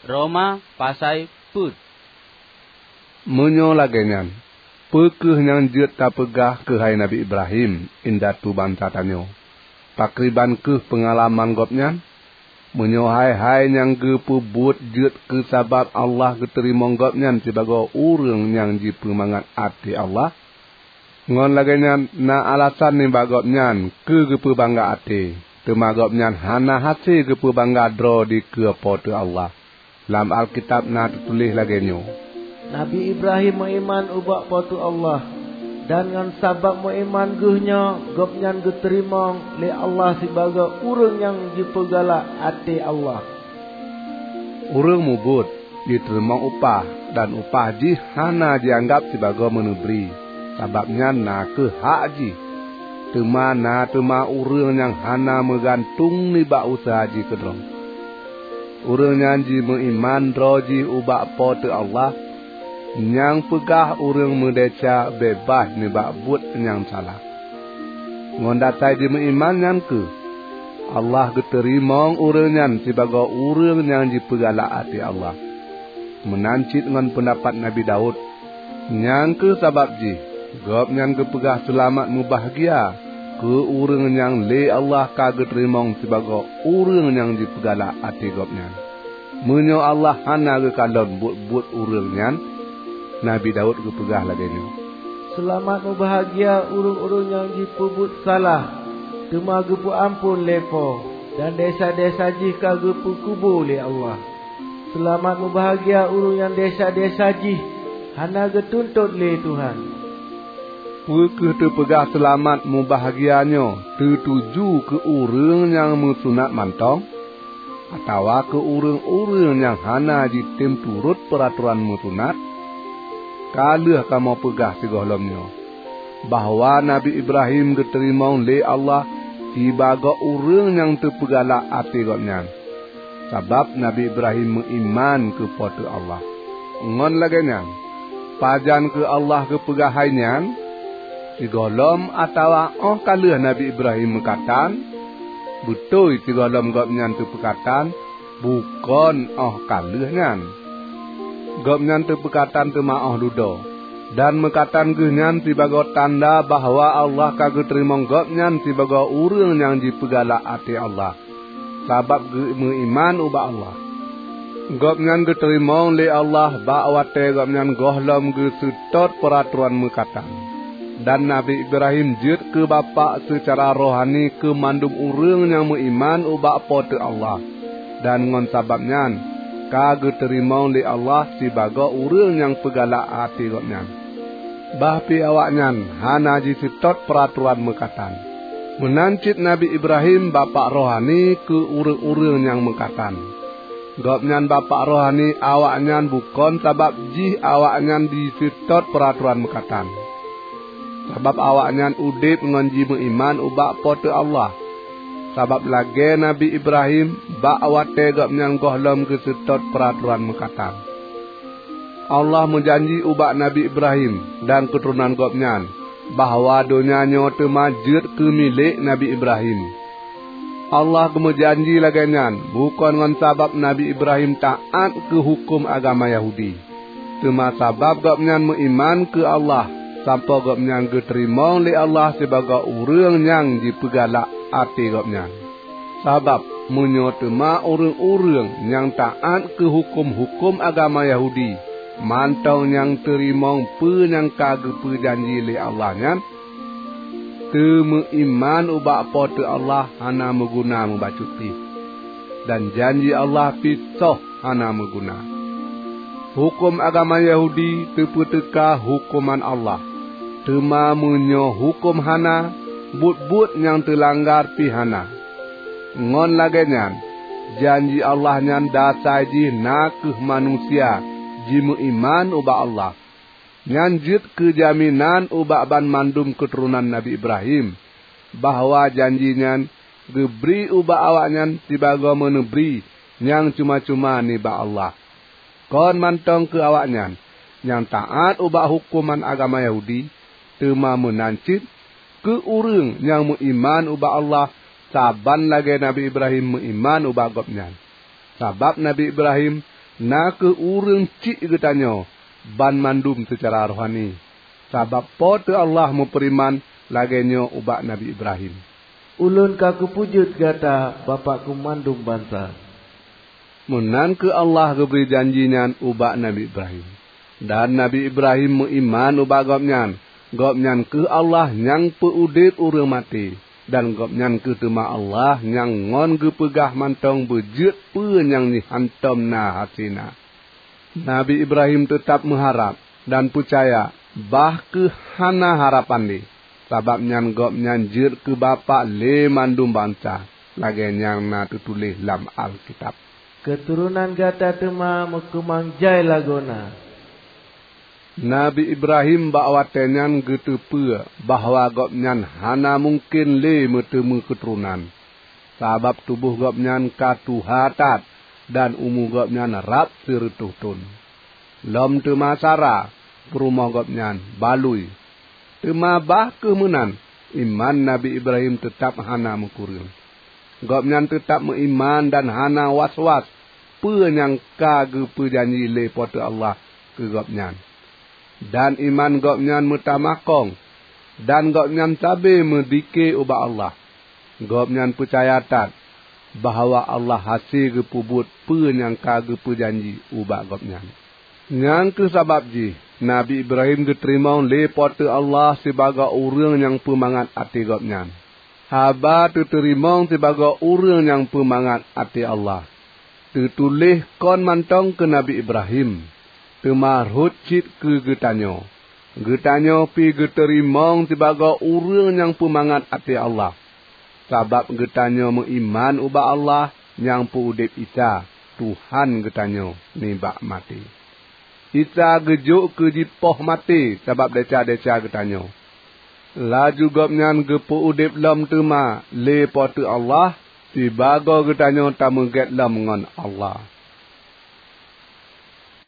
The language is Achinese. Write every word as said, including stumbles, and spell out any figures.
Roma pasai peuet. Meunyoe lagée nyan, peu kheueh nyang jeuet tapeugah keuhai Nabi Ibrahim, indatu bansa tanyoe? Pakriban kheueh peungalaman gobnyan? Meunyoe hai-hai nyang geupeubuet jeuet keu sabab Allah geuteurimong gobnyan sibagoe ureuëng nyang jipeumangat até Allah, ngon lagée nyan na alasan nibak gobnyan keu geupeubangga até, teuma gobnyan hana hase geupeubangga droe dikeue Po teu Allah. Lam Alkitab na teutuléh lagée nyoe, "Nabi Ibrahim meuiman ubak Po teu Allah, dan ngon sabab meuiman geuh nyoe gobnyan geuteurimong lé Allah sibagoe ureuëng nyang jipeugalak até Allah." Ureuëng mubuet jiteurimong upah, dan upah jih hana jianggab sibagoe meuneubri, sabab nyan na kheueh hak jih. Teuma na teuma ureuëng nyang hana meugantung nibak useuha jih keudroe. Ureuëng nyan jimeuiman droe jih ubak Po teu Allah, nyang peugah ureuëng meudesya beubaih nibak buet nyang salah. Ngon dasai jimeuiman nyan kheueh Allah geuteurimong ureuëng nyan sibagoe ureuëng nyang jipeugalak até Allah. Meunan cit ngon peundapat Nabi Daud, nyang kheueh sabab jih gobnyan geupeugah seulamat mubahgia keu ureuëng nyang lé Allah ka geuteurimong sibagoe ureuëng nyang jipeugalak até gobnyan. Meunyoe Allah hana geukalon buet-buet ureuëng nyan, Nabi Daud geupeugah lagée nyoe, "Seulamat mubahgia ureuëng-ureuëng nyang jipeubuet salah, teuma geupeuamphon lé Po, dan desya-desya jih ka geupeukubu lé Allah. Seulamat mubahgia ureuëng nyang desya-desya jih hana geutuntot lé Tuhan." Peu kheueh teupeugah seulamat mubahgia nyoe teutuju keu ureuëng nyang meusunat mantong, atawa keu ureuëng-ureuëng nyang hana jitem turot peuratoran meusunat? Ka lheueh kamoe peugah sigohlom nyoe, bahwa Nabi Ibrahim geuteurimong lé Allah sibagoe ureuëng nyang teupeugalak até gobnyan, sabab Nabi Ibrahim meuiman keu Po teu Allah. Ngon lagée nyan, pajan keu Allah geupeugah hai nyan? Sigohlom atawa óh ka lheueh Nabi Ibrahim meukatan? Beutôi sigohlom gobnyan teupeukatan, bukon óh ka lheueh nyan. Gobnyan teupeukatan teuma óh dudoe, dan meukatan geuh nyan sibagoe tanda bahwa Allah ka geuteurimong gobnyan sibagoe ureuëng nyang jipeugalak até Allah, sabab geumeuiman ubak Allah. Gobnyan geuteurimong lé Allah bak watée gobnyan gohlom geuseutôt peuratoran meukatan. Dan Nabi Ibrahim jeuet keu bapak seucara rohani keu mandum ureuëng nyang meuiman ubak Po teu Allah, dan ngon sabab nyan ka geuteurimong lé Allah sibagoe ureuëng nyang peugalak até gobnyan. Bah pih awaknyan hana jiseutôt peuratoran meukatan. Meunan cit Nabi Ibrahim bapak rohani keu ureuëng-ureuëng nyang meukatan. Gobnyan bapak rohani awaknyan bukon sabab jih awaknyan jiseutôt peuratoran meukatan, sabab awaknyan udeb ngon jimeuiman ubak Po teu Allah. Sabab lagée Nabi Ibrahim bak watée gobnyan gohlom geuseutôt peuratoran meukatan. Allah meujanji ubak Nabi Ibrahim dan keuturonan gobnyan bahwa donya nyoe teuma jeuet keu milék Nabi Ibrahim. Allah geumeujanji lagée nyan bukon ngon sabab Nabi Ibrahim taát keu huköm agama Yahudi, teuma sabab gobnyan meuiman keu Allah sampoe gobnyan geuteurimong lé Allah sibagoe ureuëng nyang jipeugalak até gobnyan. Sabab meunyoe teuma ureuëng-ureuëng nyang taát keu huköm-huköm agama Yahudi mantong nyang teurimong peue nyang ka geupeujanji lé Allah nyan, teumeuiman ubak Po teu Allah hana meuguna meubacut pih, dan janji Allah pih soh hana meuguna. Huköm agama Yahudi teupeuteuka huköman Allah, teuma meunyoe huköm hana, buet-buet nyang teulanggar pih hana. Ngon lagée nyan, janji Allah nyan dasai jih na kheueh manusia jimeuiman ubak Allah. Nyan jeuet keu jaminan ubak banmandum keuturonan Nabi Ibrahim, bahwa janji nyan geubri ubak awaknyan sibagoe meuneubri nyang cuma-cuma nibak Allah. Kon mantong keu awaknyan nyang taát ubak huköman agama Yahudi, teuma meunan cit keu ureuëng nyang meuiman ubak Allah saban lagée Nabi Ibrahim meuiman ubak Gobnyan. Sabab Nabi Ibrahim na kheueh ureuëng cit geutanyoe banmandum seucara rohani, sabab Po teu Allah meufeureuman lagée nyoe ubak Nabi Ibrahim, "Ulôn ka kupeujeuet gata bapak keu mandum bansa." Meunan kheueh Allah geubri janji nyan ubak Nabi Ibrahim. Dan Nabi Ibrahim meuiman ubak Gobnyan. Gobnyan kheueh Allah nyang peu-udeb ureuëng maté, dan Gobnyan kheueh teuma Allah nyang ngon geupeugah mantong beujeuet peue nyang jih hántom na hasé na. Nabi Ibrahim teutab meuharab dan peucaya, bah kheueh hana harapan lé, sabab nyan gobnyan jeuet keu bapak lé mandum bansa, lagée nyang na teutuléh lam Alkitab, "Keuturonan gata teuma meukeumang jai lagoena." Nabi Ibrahim bak watée nyan geuteupeue bahwa gobnyan hana mungken lé meuteumé keuturonan, sabab tuboh gobnyan ka tuha that dan umu gobnyan rab sireutôh thon. Lom teuma Sara, peurumoh gobnyan, balui. Teuma bah kheueh meunan, iman Nabi Ibrahim teutab hana meukureueng. Gobnyan teutab meuiman dan hana was-was peue nyang ka geupeujanji lé Po teu Allah keu gobnyan. Dan iman gobnyan meutamah kong, dan gobnyan sabe meudike ubak Allah. Gobnyan peucaya that bahwa Allah hase geupeubuet peue nyang ka geupeujanji ubak gobnyan. Nyang kheueh sabab jih Nabi Ibrahim geuteurimong lé Po teu Allah sibagoe ureuëng nyang peumangat até gobnyan. Haba teuteurimong sibagoe ureuëng nyang peumangat até Allah, teutuléh kon mantong keu Nabi Ibrahim, teuma rhot cit keu geutanyoe. Geutanyoe pi geuteurimong sibagoe ureuëng nyang peumangat até Allah, sabab geutanyoe meuiman ubak Allah nyang peu-udeb Isa, Tuhan geutanyoe nibak maté. Isa geujok keu jipoh maté sabab desya-desya geutanyoe. Laju Gobnyan geupeu-udeb lom teuma lé Po teu Allah, sibagoe geutanyoe tameugét lom ngon Allah.